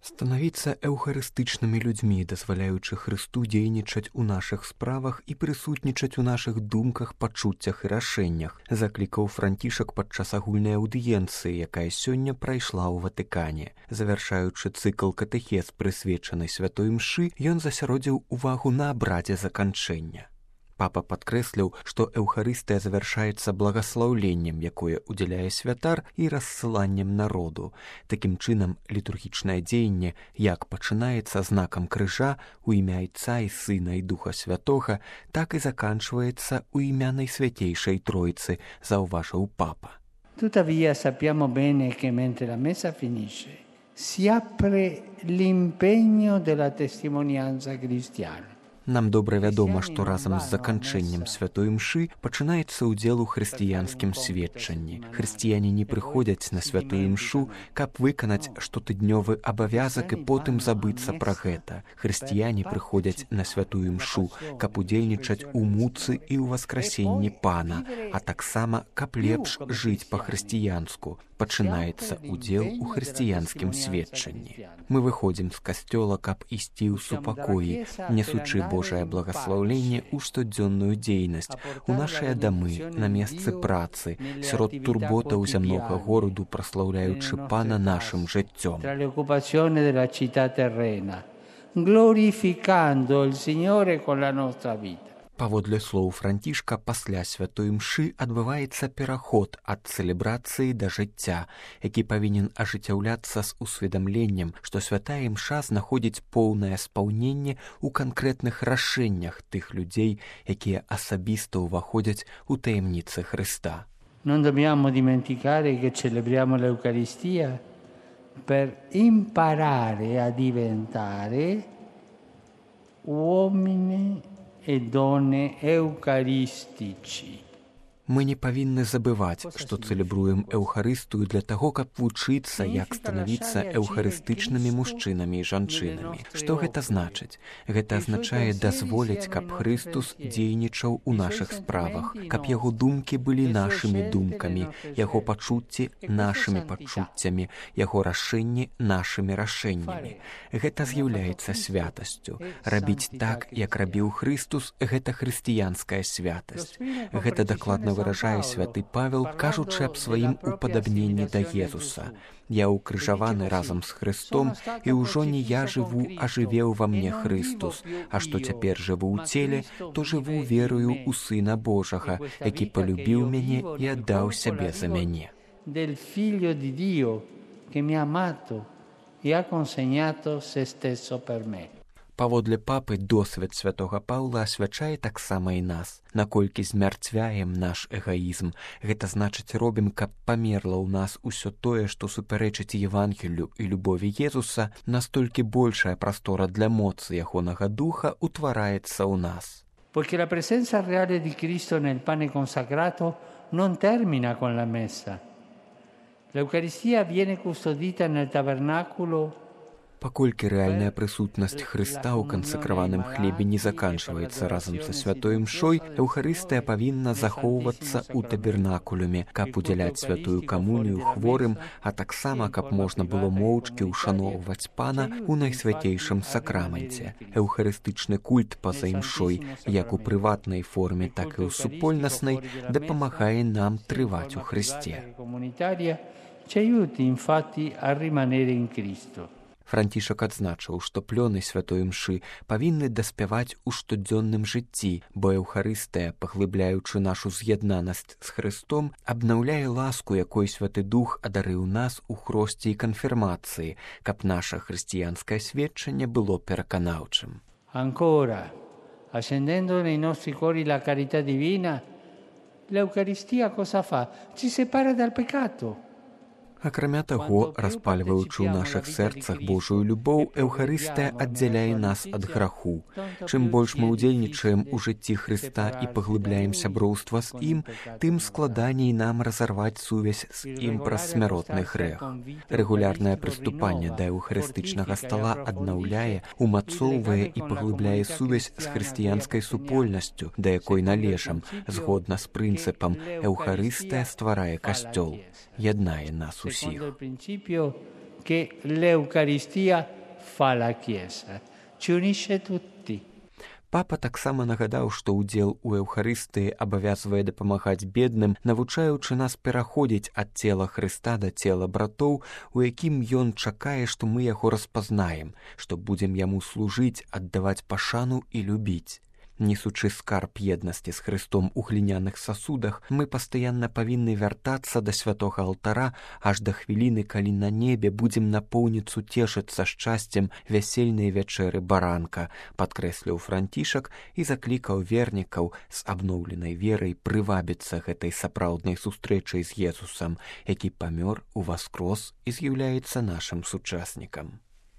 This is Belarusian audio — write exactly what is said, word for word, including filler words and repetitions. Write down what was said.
Станавіцца эўхарыстычнымі людзьмі, дазваляючы Хрысту дзейнічаць у нашых справах і прысутнічаць у нашых думках, пачуццях і рашэннях, заклікаў Францішак падчас агульнай аўдыенцыі, якая сёння прайшла ў Ватыкане. Завяршаючы цыкл катэхез, прысвечаны святой імшы, ён засяродзіў увагу на абрадзе заканчэння. Папа падкрэсліў, што эўхарыстыя завяршаецца благаслаўленнем, якое удзяляе святар, і рассыланнем народу. Такім чынам, літургічнае дзеянне як пачынаецца знакам крыжа у імя Айца і Сына і Духа Святога, так і заканчваецца у імя Найсвятейшай Тройцы, заўважыў папа. Tuttavia sappiamo bene che mentre la messa finisce si apre l'impegno della testimonianza cristiana. Нам добра вядома, што разам з заканчэннем святой імшы пачынаецца ўдзел у хрысціянскім сведчанні. Хрысціяне не прыходзяць на святую імшу, каб выканаць штотыднёвы абавязак і потым забыцца пра гэта. Хрысціяне прыходзяць на святую імшу, каб удзельнічаць у муцы і ў васкрасенні Пана, а таксама, каб лепш жыць па-хрысціянску. Пачынаецца ўдзел у хрысціянскім сведчанні. Мы выходзім з касцёла, каб ісці ў супакоі, несучы Божае благаслаўленне ў штодзённую дзейнасць, у нашыя дамы, на месцы працы, сярод турботаў зямнога гораду, праслаўляючы Пана нашым жыццём. Glorificando il Signore con la nostra vita. Паводле слоў Францішка, пасля святой імшы адбываецца пераход ад цэлебрацыі да жыцця, які павінен ажыццяўляцца з усведамленнем, што святая імша знаходзіць поўнае спаўненне ў канкрэтных рашэннях тых людзей, якія асабіста ўваходзяць у таямніцы Хрыста. Non dobbiamo dimenticare che celebriamo l'Eucaristia per imparare a diventare uomini e donne eucaristici. Мы не павінны забываць, што цэлебруем Эўхарыстыю для таго, каб вучыцца, як станавіцца эўхарыстычнымі мужчынамі і жанчынамі. Што гэта значыць? Гэта азначае дазволіць, каб Хрыстус дзейнічаў у нашых справах, каб яго думкі былі нашымі думкамі, яго пачуцці нашымі пачуццямі, яго рашэнні нашымі рашэннямі. Гэта з'яўляецца святасцю. Рабіць так, як рабіў Хрыстус, гэта хрысціянская святасць. Гэта дакладна выражае святы Павел, кажучы аб сваім упадабненні да Езуса. Я укрыжаваны разам з Хрыстом, і ўжо не я жыву, а жыве ўва мне Хрыстус, а што цяпер жыву ў целе, то жыву верою ў Сына Божага, які палюбіў мяне і аддаў сябе за мяне. Del Figlio di Dio, che mi ha amato e ha consegnato se stesso per me. Паводле папы, досвед святога Паўла асвячае таксама і нас. Наколькі змярцвяем наш эгаізм, гэта значыць робім, каб памерла ў нас усё тое, што супярэчыць Евангелію і любові Езуса, настолькі большая прастора для моцы ягонага духа утвараецца ў нас. Poiché la presenza reale di Cristo nel pane consacrato non termina con la messa. L'Eucaristia viene custodita nel tabernacolo. Паколькі рэальная прысутнасць Хрыста ў кансакраваным хлебе не заканчваецца разам са святой імшой, Эўхарыстыя павінна захоўвацца ў табернакулюме, каб удзяляць святую камунію хворым, а таксама, каб можна было моўчкі ўшаноўваць Пана ў найсвяцейшым сакраменце. Эўхарыстычны культ па-за імшой, як у прыватнай форме, так і ў супольнаснай, дапамагае нам трываць у Хрысце. Ci aiuti infatti a rimanere in Cristo. Францішак адзначыў, што плёны святой імшы павінны даспяваць у штодзённым жыцці, бо Эўхарыстыя, паглыбляючы нашу з'яднанасць з Хрыстом, абнаўляе ласку, якой святы дух адарыў нас у хросце і канфірмацыі, каб наша хрысціянскае сведчанне было пераканаўчым. Ancora, accendendo nei nostri cuori la carità divina, l'Eucaristia cosa fa? Ci separa dal peccato. Акрамя таго, распальваючы ў нашых сэрцах Божую любоў, Эўхарыстыя аддзяляе нас ад граху. Чым больш мы ўдзельнічаем у жыцці Хрыста і паглыбляем сяброўства з ім, тым складаней нам разарваць сувязь з ім праз смяротны грэх. Рэгулярнае прыступанне да эўхарыстычнага стала аднаўляе, умацоўвае і паглыбляе сувязь з хрысціянскай супольнасцю, да якой належам, згодна з прынцыпам «Эўхарыстыя стварае касцёл», яднае нас усіх. che l'Eucaristia fa la Chiesa, ci unisce tutti. Папа таксама нагадаў, што ўдзел у Эўхарыстыі абавязвае дапамагаць бедным, навучаючы нас пераходзіць ад цела Хрыста да цела братоў, у якім ён чакае, што мы яго распазнаем, што будзем яму служыць, аддаваць пашану і любіць. Несучы скарб еднасці з Хрыстом у гліняных сасудах, мы пастаянна павінны вяртацца да святога алтара аж да хвіліны, калі на небе будзем напоўніцу цешыцца шчасцем вясельнай вячэры баранка, падкрэсліў Францішак і заклікаў вернікаў з абноўленай верай прывабіцца гэтай сапраўднай сустрэчай з Езусам, які памёр, уваскрос і з'яўляецца нашым сучаснікам.